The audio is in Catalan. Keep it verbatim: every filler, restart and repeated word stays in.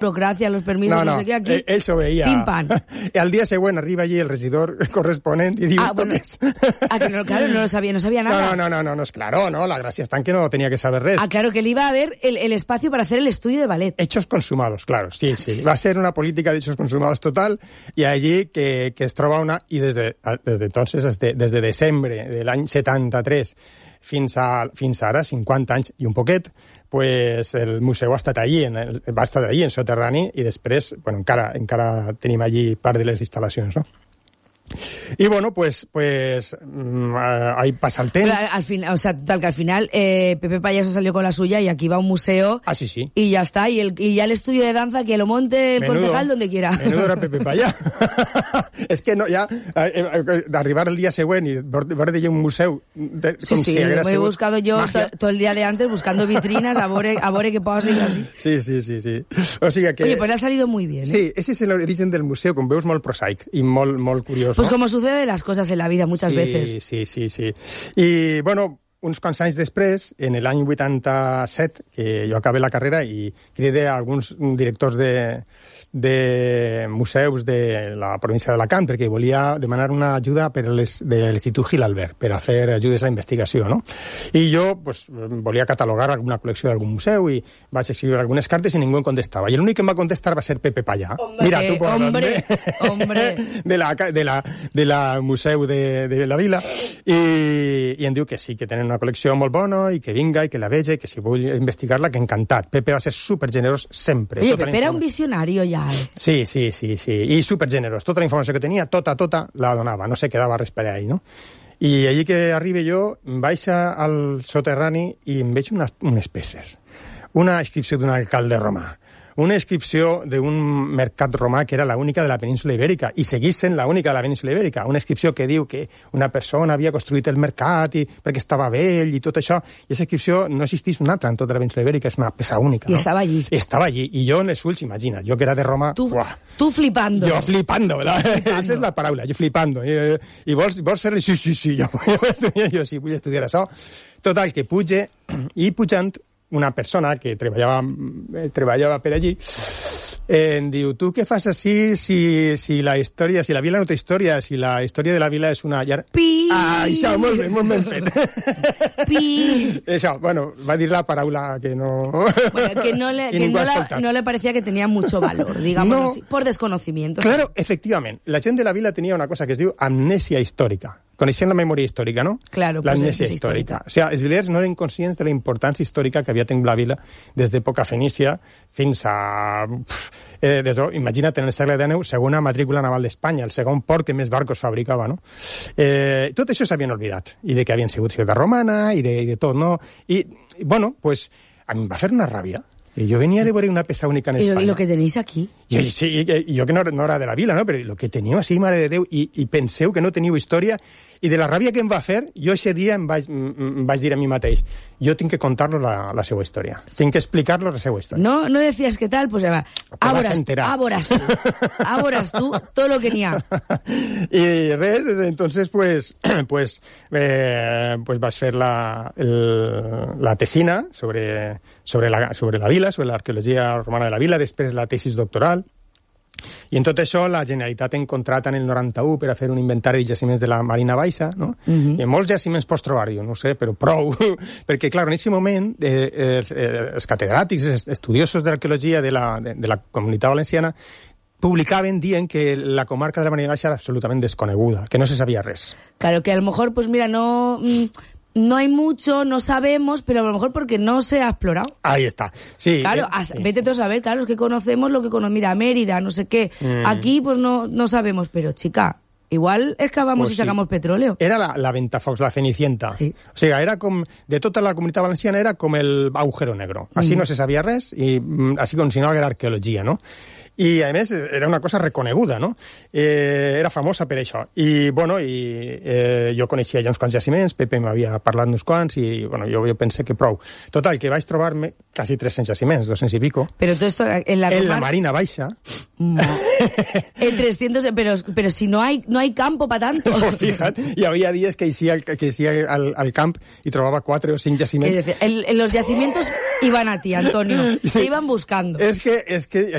burocracia, los permisos, no, no, no sé què, aquí... Ell, ell s'ho veia. Pim-pam. I al dia següent arriba allí el regidor corresponent i diu, ah, ¿esto bueno, qué es? Ah, que no, claro, no lo sabía, no sabía nada. No, no, no, no, no es claro, no, la gracia está en que no tenía que saber res. Ah, claro, que le iba a haber el, el espacio para hacer el estudio de ballet. Hechos consumados, claro, sí, sí. Va a ser una política de hechos consumados total i allí que, que es troba una... I des de, des de entonces, des de, des de desembre de l'any setanta-tres fins, a, fins ara, cinquanta anys i un poquet, pues el museu ha estat allí, en el, va estar allí en soterrani i després, bueno, encara, encara tenim allí part de les instal·lacions, no? Y bueno, pues pues mmm, ahí pasa el tema. Al final, o sea, tal que al final eh, Pepe Payaso salió con la suya y aquí va a un museo. Ah, sí, sí. Y ya está. Y, el, y ya el estudio de danza que lo monte el menudo, concejal donde quiera. Menudo era Pepe Payaso. Es que no, ya, eh, eh, arribar el día següent y ver de un museu... De, sí, sí, si lo he buscado yo todo to el día de antes buscando vitrinas a ver, a ver qué pasa y así. Sí, sí, sí, sí. O sigui que... Oye, pues le ha salido muy bien. ¿eh? Sí, ese es el origen del museu, com veus, molt prosaic i molt, molt curiós. Pues no? como sucede las cosas en la vida muchas sí, veces. Sí, sí, sí. I, bueno, uns quants anys després, en l'any vuitanta-set, que jo acabé la carrera i cridé a alguns directors de, de museus de la província d'Alacant perquè volia demanar una ajuda per les, de l'Institut Gil Albert per a fer ajudes a la investigació, no? I jo pues, volia catalogar alguna col·lecció d'algun museu i vaig escriure algunes cartes i ningú em contestava. I l'únic que em va contestar va ser Pepe Payá. Hombre, Mira, tu por hombre, hombre. De la, de la, de la museu de, de la vila i, i em diu que sí, que tenen una col·lecció molt bona i que vinga i que la veja i que si vull investigar-la, que encantat. Pepe va ser supergenerós sempre. Oye, Pepe era un visionario ja, eh? Sí, sí, sí, sí. I supergenerós. Tota la informació que tenia, tota, tota, la donava. No se quedava res per ahí, no? I allí que arribe jo, vaig al soterrani i em veig unes, unes peces. Una inscripció d'un alcalde romà. Una inscripció d'un mercat romà que era l'única de la península Ibèrica i seguís sent l'única de la península Ibèrica. Una inscripció que diu que una persona havia construït el mercat i, perquè estava vell i tot això. I aquesta inscripció no existeix una altra en tota la península Ibèrica, és una peça única. I no? estava allí. I estava allí. I jo en els ulls, imagina, jo que era de Roma... Tu, uah, tu flipando. Jo flipando, ¿verdad? Flipando. Esa és la paraula, jo flipando. I, i vols, vols fer-li? Sí, sí, sí, jo, jo sí, vull estudiar això. Total, que puge, i pujant, una persona que treballava, treballava per allí, eh, em diu, tu què fas així si, si la història, si la vila no té història, si la història de la vila és una llar... Pi! Ah, això, molt ben, molt ben fet. Pi! Això, bueno, va dir la paraula que no... Bueno, que no le, que no, la, no le parecía que tenía mucho valor, digamos no, así, por desconocimiento. Claro, ¿sí? Efectivament. La gent de la vila tenia una cosa que es diu amnèsia històrica. Coneixent la memòria històrica, no? Claro, l'amnèsia pues històrica. O sigui, els vilers no eren conscients de la importància històrica que havia tingut la vila des d'època fenícia fins a... Eh, des, imagina't, en el segle dinou, segona matrícula naval d'Espanya, el segon port que més barcos fabricava, no? Eh, tot això s'havien oblidat, i de que havien sigut ciutat romana, i de, i de tot, no? I, bueno, pues, a mi em va fer una ràbia. Y yo venía de ver una peça única en ¿Y España. ¿Y lo que tenéis aquí? Yo, sí, yo que no, no era de la vila, no? Pero lo que teniu així, mare de Déu, i, i penseu que no teniu història, i de la ràbia que em va fer, jo aquest dia em vaig, em vaig dir a mi mateix, jo tinc que contar-lo la, la seva història, tinc que explicar-lo la seva història. No, no decías qué tal, pues va, áboras, áboras tú, áboras tú, todo lo que n'hi ha. I res, entonces, pues, pues, eh, pues vas fer la, el, la tesina sobre, sobre, la, sobre la vila, sobre l'arqueologia romana de la vila, després la tesis doctoral. I en tot això la Generalitat en contrata en el noranta-u per a fer un inventari de jaciments de la Marina Baixa, no? Uh-huh. I molts jaciments pots trobar, jo no sé, però prou, perquè, clar, en aquest moment eh, els, eh, els catedràtics, els estudiosos d'arqueologia de, la, de, de la Comunitat Valenciana publicaven dient que la comarca de la Marina Baixa era absolutament desconeguda, que no se sabia res. Claro, que a lo mejor, pues mira, no... Mm... No hay mucho, no sabemos, pero a lo mejor porque no se ha explorado. Ahí está, sí. Claro, eh, a, vete tú a saber, claro, es que conocemos lo que conocemos, mira, Mérida, no sé qué. Mm. Aquí, pues no, no sabemos, pero chica, igual excavamos pues y sacamos sí. petróleo. Era la, la Ventafocs, la Cenicienta. Sí. O sigui, era com, de tota la Comunitat Valenciana era com el agujero negro. Així mm. no se sabia res, i així com si no era arqueologia, no? I, a més, era una cosa reconeguda, no? Eh, era famosa per això. I, bueno, i eh, jo coneixia ja uns quants jaciments, Pepe m'havia parlat d'uns quants, i, bueno, jo, jo pensé que prou. Total, que vaig trobar-me quasi tres-cents jaciments, dos-cents i pico. Pero todo esto en la, en comar... la Marina Baixa. No. En trescientos, pero, pero si no hay, no hay campo para tanto. Pues fíjate, hi havia dies que eixia, que eixia al, al camp i trobava quatre o cinc jaciments. Es decir, el, los yacimientos iban a ti, Antonio. Se iban buscando. Es que, es que,